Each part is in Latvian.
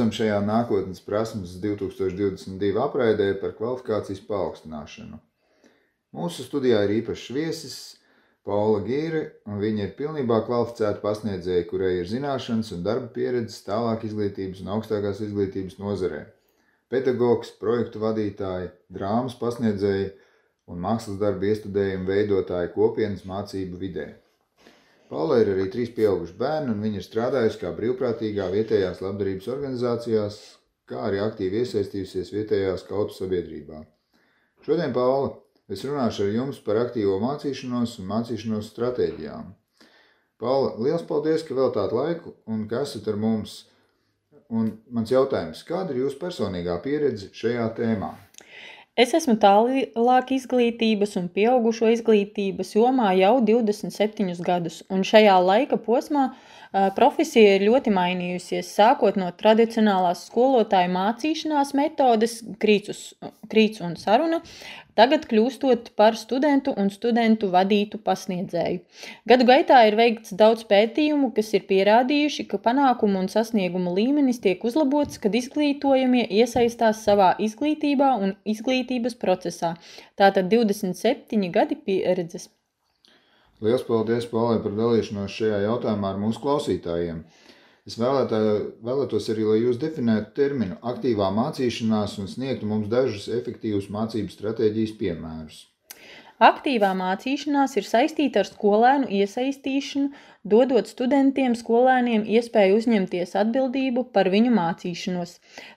lūdzam šajā nākotnes prasmes 2022 apraidē par kvalifikācijas paaugstināšanu. Mūsu studijā ir īpašs viesis Paula Gīre, un viņa ir pilnībā kvalificēta pasniedzēja, kurai ir zināšanas un darba pieredzes tālāk izglītības un augstākās izglītības nozarē. Pedagogs, projektu vadītāji, drāmas pasniedzēji un mākslas darba iestudējumu veidotāji kopienas mācību vidē. Paula ir arī 3 pieauguši bērni, un viņa ir strādājusi kā brīvprātīgā vietējās labdarības organizācijās, kā arī aktīvi iesaistījusies vietējā skautu sabiedrībā. Šodien, Paula, es runāšu ar jums par aktīvo mācīšanos un mācīšanos stratēģijām. Paula, liels paldies, ka veltāt laiku un ka esat ar mums. Un mans jautājums, kāda ir jūsu personīgā pieredze šajā tēmā? Es esmu tālāk izglītības un pieaugušo izglītības jomā jau 27 gadus, un šajā laika posmā profesija ir ļoti mainījusies, sākot no tradicionālās skolotāju mācīšanās metodes, krīts un saruna, tagad kļūstot par studentu un studentu vadītu pasniedzēju. Gadu gaitā ir veikts daudz pētījumu, kas ir pierādījuši, ka panākumu un sasniegumu līmenis tiek uzlabots, kad izglītojamie iesaistās savā izglītībā un izglītības procesā. Tātad 27 gadi pieredzes. Liels paldies, Paulai, par dalīšanos šajā jautājumā ar mūsu klausītājiem. Es vēlētos arī, lai jūs definētu terminu aktīvā mācīšanās un sniegtu mums dažus efektīvus mācību stratēģijas piemērus. Aktīvā mācīšanās ir saistīta ar skolēnu iesaistīšanu, dodot studentiem, skolēniem iespēju uzņemties atbildību par viņu mācīšanos.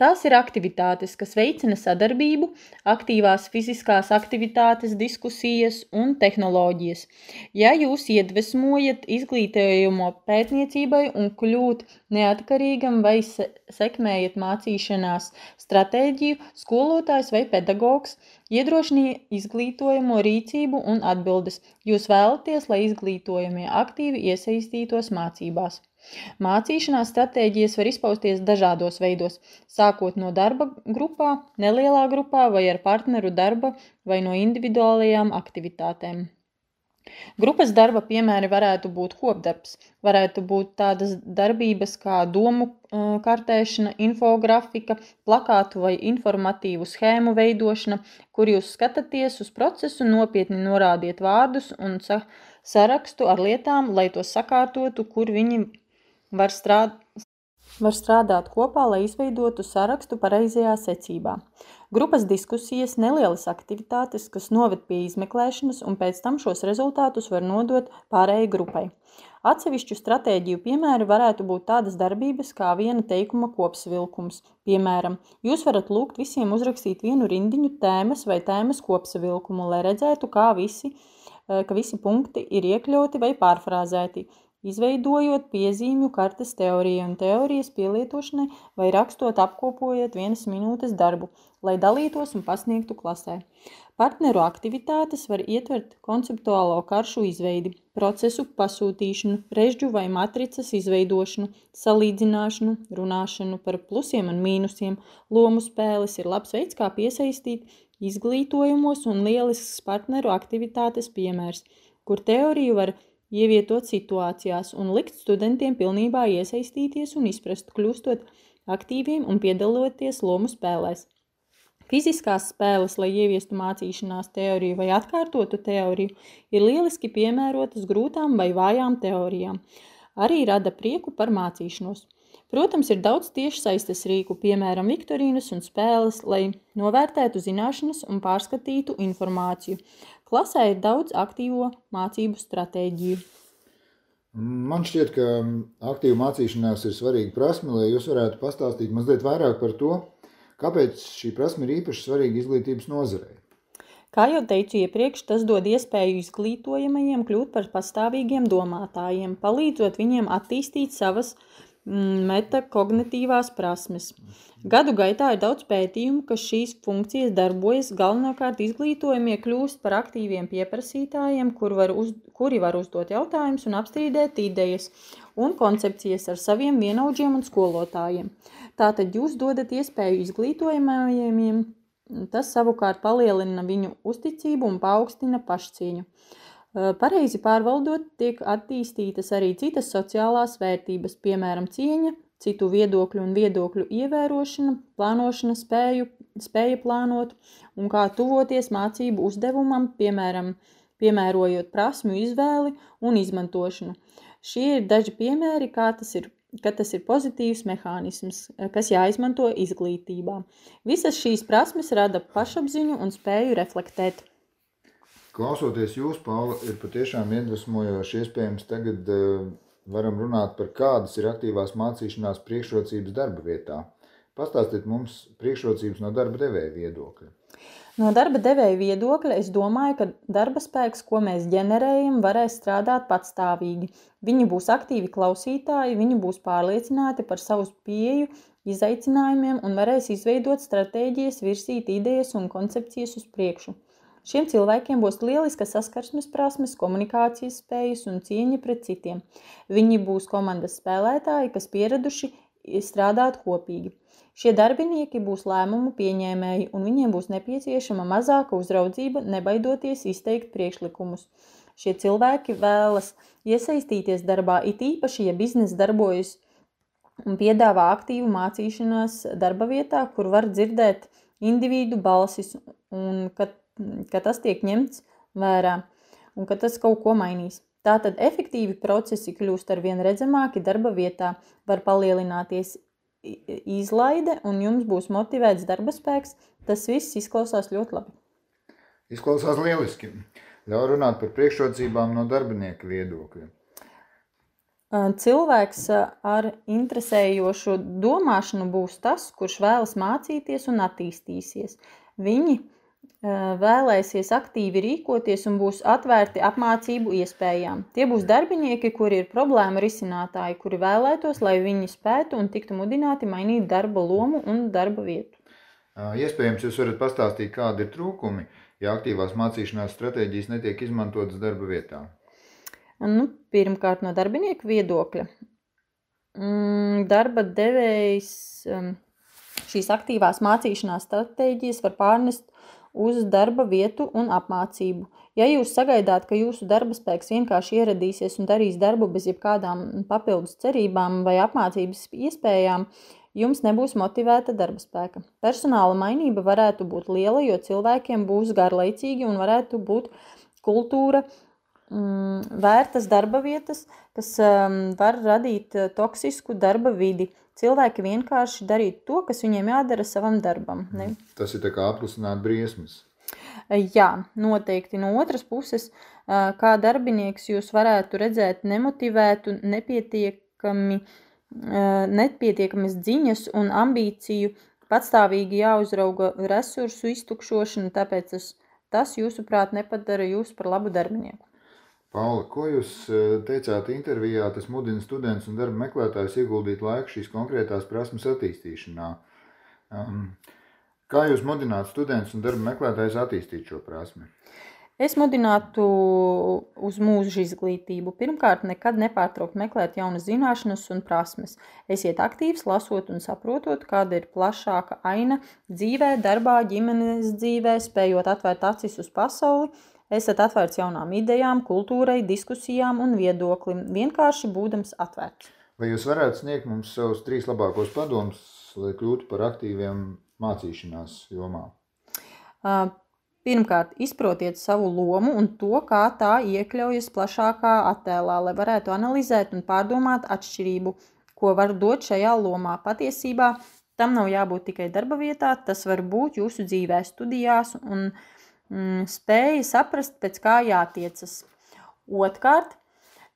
Tās ir aktivitātes, kas veicina sadarbību, aktīvās fiziskās aktivitātes, diskusijas un tehnoloģijas. Ja jūs iedvesmojat izglītojumu pētniecībai un kļūt neatkarīgam vai sekmējat mācīšanās stratēģiju, skolotājs vai pedagogs iedrošina izglītojamo rīcību un atbildes. Jūs vēlaties, lai izglītojamie aktīvi iesaistītos mācībās. Mācīšanās stratēģijas var izpausties dažādos veidos, sākot no darba grupā, nelielā grupā vai ar partneru darba vai no individuālajām aktivitātēm. Grupas darba piemēri varētu būt kopdarbs, varētu būt tādas darbības kā domu kartēšana, infografika, plakātu vai informatīvu schēmu veidošana, kur jūs skatāties uz procesu, nopietni norādiet vārdus un sarakstu ar lietām, lai tos sakārtotu, kur viņi var strādāt kopā, lai izveidotu sarakstu pareizajā secībā. Grupas diskusijas, nelielas aktivitātes, kas noved pie izmeklēšanas, un pēc tam šos rezultātus var nodot pārējai grupai. Atsevišķu stratēģiju piemēri varētu būt tādas darbības kā viena teikuma kopsavilkums. Piemēram, jūs varat lūgt visiem uzrakstīt vienu rindiņu tēmas vai tēmas kopsavilkumu, lai redzētu, ka visi punkti ir iekļauti vai pārfrāzēti, izveidojot piezīmju kartes teoriju un teorijas pielietošanai vai rakstot apkopojot 1 minūtes darbu, lai dalītos un pasniegtu klasē. Partneru aktivitātes var ietvert konceptuālo karšu izveidi, procesu pasūtīšanu, režģu vai matricas izveidošanu, salīdzināšanu, runāšanu par plusiem un mīnusiem. Lomu spēles ir labs veids, kā piesaistīt izglītojumos un lielisks partneru aktivitātes piemērs, kur teoriju var ievietot situācijās un likt studentiem pilnībā iesaistīties un izprast, kļūstot aktīviem un piedaloties lomu spēlēs. Fiziskās spēles, lai ieviestu mācīšanās teoriju vai atkārtotu teoriju, ir lieliski piemērotas grūtām vai vājām teorijām. Arī rada prieku par mācīšanos. Protams, ir daudz tiešsaistes rīku, piemēram, viktorīnas un spēles, lai novērtētu zināšanas un pārskatītu informāciju. Klasē ir daudz aktīvo mācību stratēģiju. Man šķiet, ka aktīva mācīšanās ir svarīga prasme, lai jūs varētu pastāstīt mazliet vairāk par to, kāpēc šī prasme ir īpaši svarīga izglītības nozarei. Kā jau teicu iepriekš, tas dod iespēju izglītojamajiem kļūt par pastāvīgiem domātājiem, palīdzot viņiem attīstīt savas metakognitīvās prasmes. Gadu gaitā ir daudz pētījumu, ka šīs funkcijas darbojas, galvenokārt izglītojamie kļūst par aktīviem pieprasītājiem, kuri var uzdot jautājumus un apstrīdēt idejas un koncepcijas ar saviem vienaudžiem un skolotājiem. Tātad jūs dodat iespēju izglītojamajiem, tas savukārt palielina viņu uzticību un paaugstina pašcieņu. Pareizi pārvaldot, tiek attīstītas arī citas sociālās vērtības, piemēram, cieņa, citu viedokļu un viedokļu ievērošana, plānošana, spēja plānot un kā tuvoties mācību uzdevumam, piemēram, piemērojot prasmju izvēli un izmantošanu. Šie ir daži piemēri, ka tas ir pozitīvs mehānisms, kas jāizmanto izglītībā. Visas šīs prasmes rada pašapziņu un spēju reflektēt. Klausoties jūs, Paula, ir patiešām iedvesmojoši. Iespējams, tagad varam runāt par kādas ir aktīvās mācīšanās priekšrocības darba vietā. Pastāstiet mums priekšrocības no darba devēja viedokļa. No darba devēja viedokļa es domāju, ka darba spēks, ko mēs ģenerējam, varēs strādāt patstāvīgi. Viņi būs aktīvi klausītāji, viņi būs pārliecināti par savu pieeju izaicinājumiem un varēs izveidot stratēģijas, virsīt idejas un koncepcijas uz priekšu. Šiem cilvēkiem būs lieliska saskarsmes prasmes, komunikācijas spējas un cieņa pret citiem. Viņi būs komandas spēlētāji, kas pieraduši strādāt kopīgi. Šie darbinieki būs lēmumu pieņēmēji, un viņiem būs nepieciešama mazāka uzraudzība, nebaidoties izteikt priekšlikumus. Šie cilvēki vēlas iesaistīties darbā, it īpaši, ja bizness darbojas un piedāvā aktīvu mācīšanās darba vietā, kur var dzirdēt individu balsis, un ka tas tiek ņemts vērā un ka tas kaut ko mainīs. Tātad efektīvi procesi kļūst arvien redzamāki darba vietā, var palielināties izlaide un jums būs motivēts darba spēks. Tas viss izklausās ļoti labi. Izklausās lieliski. Ļauj runāt par priekšrocībām no darbinieka viedokļa. Cilvēks ar interesējošu domāšanu būs tas, kurš vēlas mācīties un attīstīsies. Viņi vēlēsies aktīvi rīkoties un būs atvērti apmācību iespējām. Tie būs darbinieki, kuri ir problēma risinātāji, kuri vēlētos, lai viņi spētu un tiktu mudināti mainīt darba lomu un darba vietu. Iespējams, jūs varat pastāstīt, kādi ir trūkumi, ja aktīvās mācīšanās stratēģijas netiek izmantotas darba vietā. Pirmkārt, no darbinieku viedokļa. Darba devējs šīs aktīvās mācīšanās stratēģijas var pārnest uz darba vietu un apmācību. Ja jūs sagaidāt, ka jūsu darba spēks vienkārši ieradīsies un darīs darbu bez jebkādām papildus cerībām vai apmācības iespējām, jums nebūs motivēta darba spēka. Personāla mainība varētu būt liela, jo cilvēkiem būs garlaicīgi un varētu būt kultūra vērtas darba vietas, kas var radīt toksisku darba vidi. Cilvēki vienkārši darīt to, kas viņiem jādara savam darbam. Ne? Tas ir tā kā apklusināt briesmas. Jā, noteikti. No otras puses, kā darbinieks jūs varētu redzēt nemotivētu, nepietiekamas ziņas un ambīciju, patstāvīgi jāuzrauga resursu iztukšošanu, tāpēc tas jūsuprāt nepadara jūs par labu darbinieku. Paula, ko jūs teicāt intervijā, tas mudina students un darba meklētājs ieguldīt laiku šīs konkrētās prasmes attīstīšanā. Kā jūs mudinātu students un darba meklētājs attīstīt šo prasmi? Es mudinātu uz mūža izglītību. Pirmkārt, nekad nepārtraukt meklēt jaunas zināšanas un prasmes. Esiet aktīvs, lasot un saprotot, kāda ir plašāka aina dzīvē, darbā, ģimenes dzīvē, spējot atvērt acis uz pasauli. Esat atvērts jaunām idejām, kultūrai, diskusijām un viedoklim, vienkārši būdams atvērts. Vai jūs varētu sniegt mums savus 3 labākos padomus, lai kļūtu par aktīviem mācīšanās jomā? Pirmkārt, izprotiet savu lomu un to, kā tā iekļaujas plašākā attēlā, lai varētu analizēt un pārdomāt atšķirību, ko var dot šajā lomā. Patiesībā tam nav jābūt tikai darba vietā, tas var būt jūsu dzīvē, studijās un spēja saprast, pēc kā jātiecas. Otrkārt,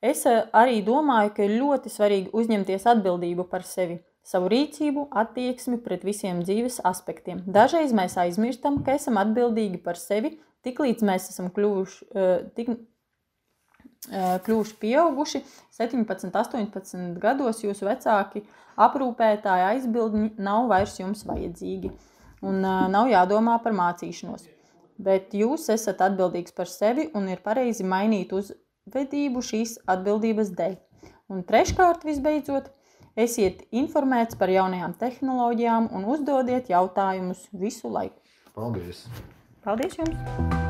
es arī domāju, ka ir ļoti svarīgi uzņemties atbildību par sevi, savu rīcību, attieksmi pret visiem dzīves aspektiem. Dažreiz mēs aizmirstam, ka esam atbildīgi par sevi, tiklīdz mēs esam kļuvuši pieauguši, 17, 18 gados jūsu vecāki, aprūpētāji, aizbildņi nav vairs jums vajadzīgi un nav jādomā par mācīšanos. Bet jūs esat atbildīgs par sevi un ir pareizi mainīt uzvedību šīs atbildības dēļ. Un treškārt, visbeidzot, esiet informēts par jaunajām tehnoloģijām un uzdodiet jautājumus visu laiku. Paldies! Paldies jums!